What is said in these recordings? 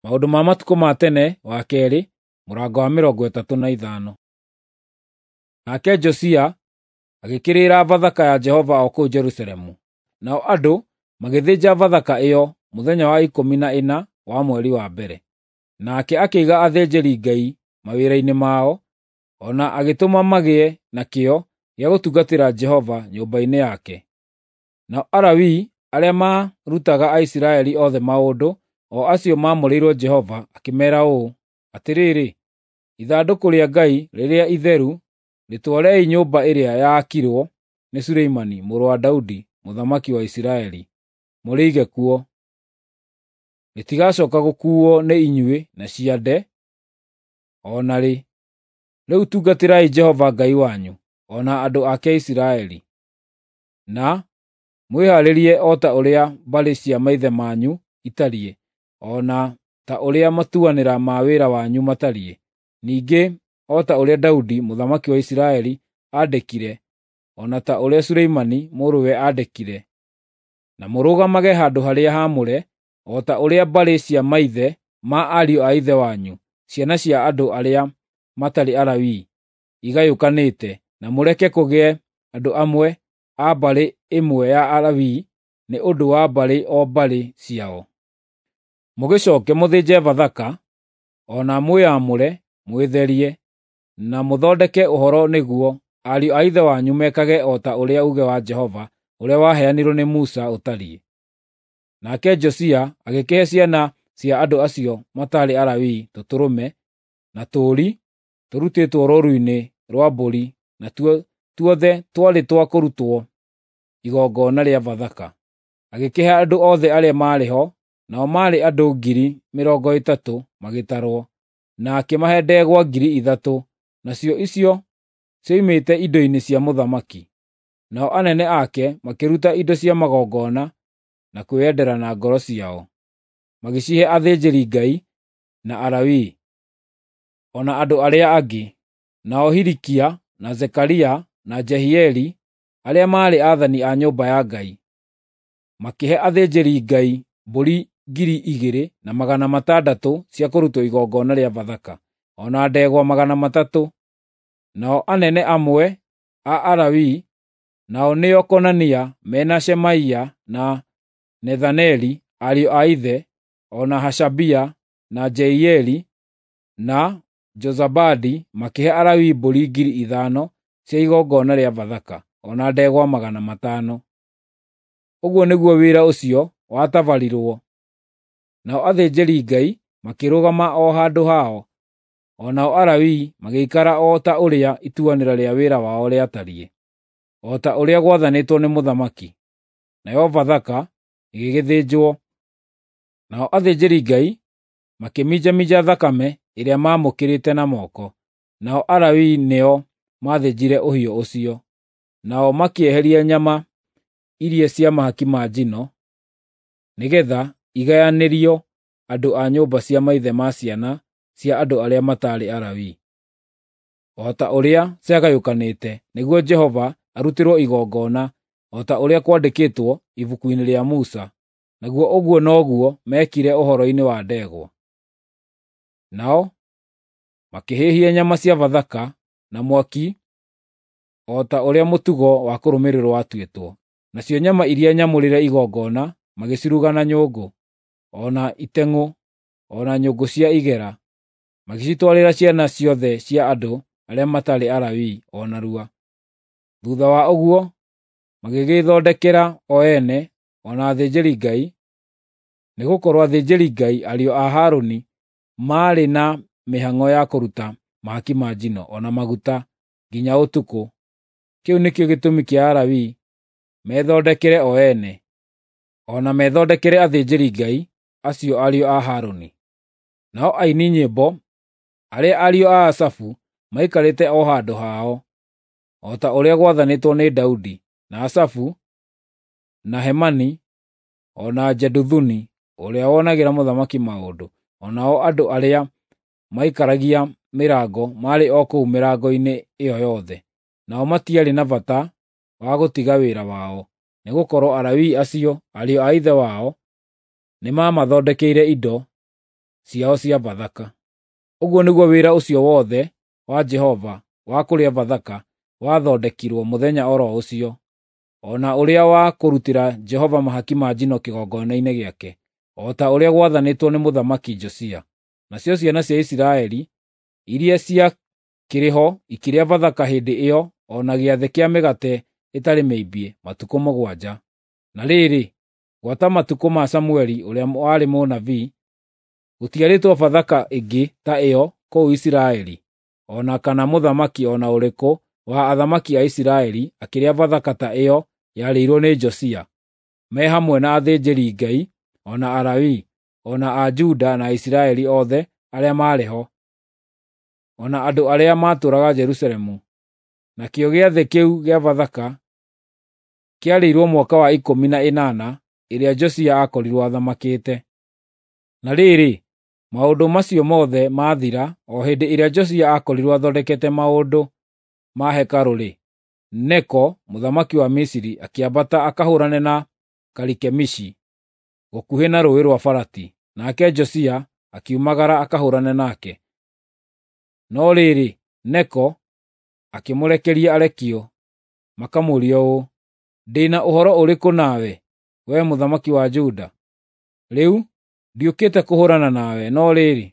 Maũndũ ma Matukũ ma Tene wa Kerĩ, mũrango wa 35. Nake Josia agĩkĩrĩra Bathaka ya Jehova o kũu Jerusalemu. Nao andũ magĩthĩnja Bathaka ĩyo mũthenya wa 14 wa mweri wa mbere. Nake akĩiga athĩnjĩri-Ngai mawĩra-inĩ mao, o na agĩtũma magĩe na kĩyo gĩa gũtungatĩra Jehova nyũmba-inĩ yake. Nao Alawii arĩa maarutaga Aisiraeli othe maũndũ, o acio maamũrĩirwo Jehova, akĩmeera ũũ, “Atĩrĩrĩ, ithandũkũ rĩa Ngai rĩrĩa itheru rĩtwarei nyũmba ĩrĩa yaakirwo nĩ Suleimani mũrũ wa Daudi mũthamaki wa Isiraeli, mũrĩige kuo. Rĩtigacooka gũkuuo nĩ inyuĩ na ciande o na rĩ. Rĩu tungatĩrai Jehova Ngai wanyu, o na andũ ake Isiraeli, na mwĩhaarĩrie o ta ũrĩa mbarĩ cia maithe manyu itariĩ, o na ta ũrĩa matuanĩra ma wĩra wanyu matariĩ, ningĩ o ta ũrĩa Daudi mũthamaki wa Isiraeli aandĩkire, o na ta ũrĩa Suleimani mũrũwe aandĩkire. Na mũrũgamage handũ harĩa haamũre, o ta ũrĩa mbarĩ cia maithe ma ariũ a ithe wanyu, ciana cia andũ arĩa matarĩ Alawii, igayũkanĩte, na mũreke kũgĩe andũ amwe a mbarĩ ĩmwe ya Alawii nĩ ũndũ wa mbarĩ o mbarĩ ciao. Mũgĩcooke mũthĩnje Bathaka, o na mwĩamũre, mwĩtherie, na mũthondeke ũhoro nĩguo ariũ a ithe wanyu mekage o ta ũrĩa uuge wa Jehova ũrĩa waheanirwo nĩ Musa ũtariĩ.” Nake Josia agĩkĩhe ciana cia andũ acio mataarĩ Alawii tũtũrũme na tũũri tũrutĩtwo rũũru-inĩ rwa mbũri, natuo tuothe twarĩ twa kũrutwo igongona rĩa Bathaka. Agĩkĩhe andũ othe arĩa maarĩ ho, nao maarĩ andũ 30,000 magĩtarwo, na akĩmahe ndegwa 3,000, nacio icio cioimĩte indo-inĩ cia mũthamaki. Nao anene ake makĩruta indo cia magongona na kwĩyendera na ngoro ciao, magĩcihe athĩnjĩri-Ngai na Alawii, o na andũ arĩa angĩ. Nao Hilikia, na Zekaria, na Jehieli, arĩa maarĩ aathani a nyũmba ya Ngai, makĩhe athĩnjĩri-Ngai mbũri 2,600 cia kũrutwo igongona rĩa Bathaka, o na ndegwa 300. Nao anene amwe a Alawii, nao nĩo Konania mena Shemaia na Nethaneli ariũ a ithe, o na Hashabia na Jeieli na Jozabadi makĩhe Alawii mbũri 5,000 cia igongona rĩa Bathaka, o na ndegwa 500. Ũguo nĩguo wĩra ũcio watabarirwo. Nao athĩnjĩri-Ngai makĩrũgama o handũ hao, o nao Alawii magĩikara o ta ũrĩa ituanĩra rĩa wĩra wao rĩatariĩ, o ta ũrĩa gwathanĩtwo nĩ mũthamaki. Nayo Bathaka ĩgĩgĩthĩnjwo. Nao athĩnjĩri-Ngai makĩminjaminja thakame ĩrĩa maamũkĩrĩte na moko, nao Alawii nĩo maathĩnjire ũhiũ ũcio. Nao makĩeheria nyama iria cia mahaki ma njino, nĩgeetha igayanĩrio andũ a nyũmba cia maithe ma ciana cia andũ arĩa mataarĩ Alawii, o ta ũrĩa ciagayũkanĩte, nĩguo Jehova arutĩrwo igongona, o ta ũrĩa kwandĩkĩtwo ibuku-inĩ rĩa Musa. Naguo ũguo noguo meekire ũhoro-inĩ wa ndegwa. Nao makĩhĩhia nyama cia Bathaka na mwaki o ta ũrĩa mũtugo wa kũrũmĩrĩrwo watuĩtwo. Nacio nyama iria nyamũrĩre igongona magĩciruga na nyũngũ, o na iteng'ũ, o na nyũngũ cia igera, magĩcitwarĩra ciana ciothe cia andũ arĩa mataarĩ Alawii o narua. Thuutha wa ũguo magĩgĩĩthondekera o ene o na athĩnjĩri-Ngai, nĩgũkorwo athĩnjĩri-Ngai ariũ a Harũni maarĩ na mĩhang'o ya kũruta mahaki ma njino o na maguta nginya ũtukũ. Kĩu nĩkĩo gĩtũmi kĩa Alawii methondekere o ene, o na methondekere athĩnjĩri-Ngai acio ariũ a Harũni. Nao aini nyĩmbo arĩa ariũ a Asafu maikarĩte o handũ hao, o ta ũrĩa gwathanĩtwo nĩ Daudi, na Asafu, na Hemani, o na Jeduthuni ũrĩa wonagĩra mũthamaki maũndũ, o nao andũ arĩa maikaragia mĩrango maarĩ o kũu mĩrango-inĩ ĩyo yothe. Nao matiarĩ na bata wa gũtiga wĩra wao, nĩgũkorwo Alawii acio, ariũ a ithe wao, nĩmamathondekeire indo ciao cia Bathaka. Ũguo nĩguo wĩra ũcio wothe wa Jehova wa kũrĩa Bathaka wathondekirwo mũthenya o ro ũcio, o na ũrĩa wa kũrutĩra Jehova mahaki ma njino kĩgongona-inĩ gĩake, o ta ũrĩa gwathanĩtwo nĩ Mũthamaki Josia. Nacio ciana cia Isiraeli iria ciakĩrĩ ho ikĩrĩa Bathaka hĩndĩ ĩyo o na gĩathĩ kĩa mĩgate ĩtarĩ mĩimbie matukũ 7. Na rĩrĩ, gwata matukũ ma Samueli ũrĩa warĩ mũnabii, gũtiarĩtwo Bathaka ĩngĩ ta ĩyo kũu Isiraeli, o na kana mũthamaki o na ũrĩkũ wa athamaki a Isiraeli akĩrĩa Bathaka ta ĩyo yarĩirwo nĩ Josia, me hamwe na athĩnjĩri-Ngai, o na Alawii, o na a Juda na Isiraeli othe arĩa maarĩ ho, o na andũ arĩa maatũũraga Jerusalemu. Nakĩo gĩathĩ kĩu gĩa Bathaka kĩarĩirwo mwaka wa 18 ĩrĩa Josia aakorirwo athamakĩte. Na rĩrĩ, maũndũ macio mothe maathira, o hĩndĩ ĩrĩa Josia aakorirwo athondekete maũndũ ma hekarũ-rĩ, Neko mũthamaki wa Misiri akĩambata akahũũrane na Karikemishi gũkuhĩ na Rũũĩ rwa Farati, nake Josia akiumagara akahũũrane nake. No rĩrĩ, Neko akĩmũrekeria arekio makamũũrie ũũ, “Ndĩ na ũhoro ũrĩkũ nawe, wee mũthamaki wa Juda? Rĩu ndiũkĩte kũhũũrana nawe, no rĩrĩ,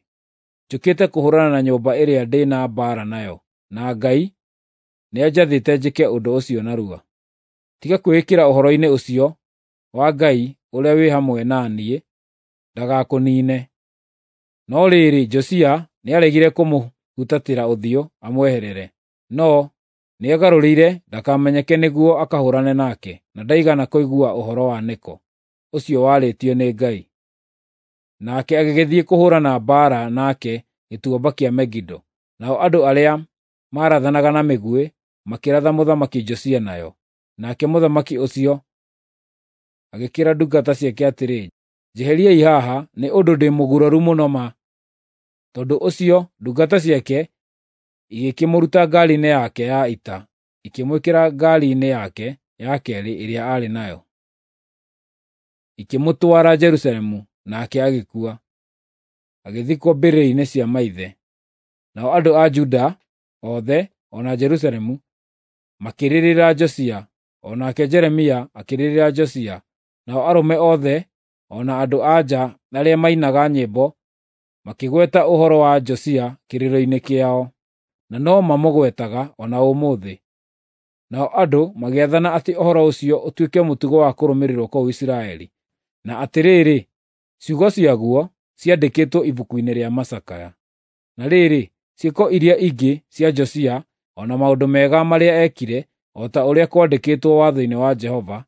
njũkĩte kũhũũrana na nyũmba ĩrĩa ndĩ na mbaara nayo, na Ngai nĩanjathĩte njĩke ũndũ ũcio narua. Tiga kwĩĩkĩra ũhoro-inĩ ũcio wa Ngai ũrĩa wĩ hamwe na niĩ, ndagakũniine.” No rĩrĩ, Josia nĩaregire kũmũhutatĩra ũthiũ amweherere, no nĩegarũrĩire ndakamenyeke nĩguo akahũũrane nake, na ndaigana kũigua ũhoro wa Neko, ũcio warĩtio nĩ Ngai. Nake agĩgĩthiĩ kũhũũrana mbaara nake gĩtuamba kĩa Megido, nao andũ arĩa maarathanaga na mĩguĩ makĩratha Mũthamaki Josia nayo. Nake mũthamaki ũcio agĩkĩĩra ndungata ciake atĩrĩ, “Njeheriai haha, nĩ ũndũ ndĩ mũguraru mũno ma.” Tondũ ũcio ndungata ciake igĩkĩmũruta ngaari-inĩ yake ya ita, ikĩmwĩkĩra ngaari-inĩ yake ya keerĩ ĩrĩa aarĩ nayo, ikĩmũtwara Jerusalemu, nake agĩkua, agĩthikwo mbĩrĩra-inĩ cia maithe. Nao andũ a Juda othe o na Jerusalemu makĩrĩrĩra Josia, o nake Jeremia akĩrĩrĩra Josia, nao arũme othe o na andũ-a-nja arĩa mainaga nyĩmbo makĩgweta ũhoro wa Josia kĩrĩro-inĩ kĩao, na no mamũgwetaga o na ũmũthĩ. Nao andũ magĩathana atĩ ũhoro ũcio ũtuĩke mũtugo wa kũrũmĩrĩrwo kũu Isiraeli. Na atĩrĩrĩ, ciugo ciaguo ciandĩkĩtwo ibuku-inĩ rĩa macakaya. Na rĩrĩ, ciĩko iria ingĩ cia Josia, o na maũndũ mega marĩa eekire, o ta ũrĩa kwandĩkĩtwo watho-inĩ wa Jehova,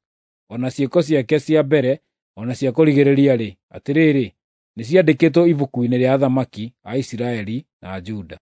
o na ciĩko ciake cia mbere o na cia kũrigĩrĩria-rĩ, atĩrĩrĩ, nĩciandĩkĩtwo ibuku-inĩ rĩa athamaki a Isiraeli na Juda.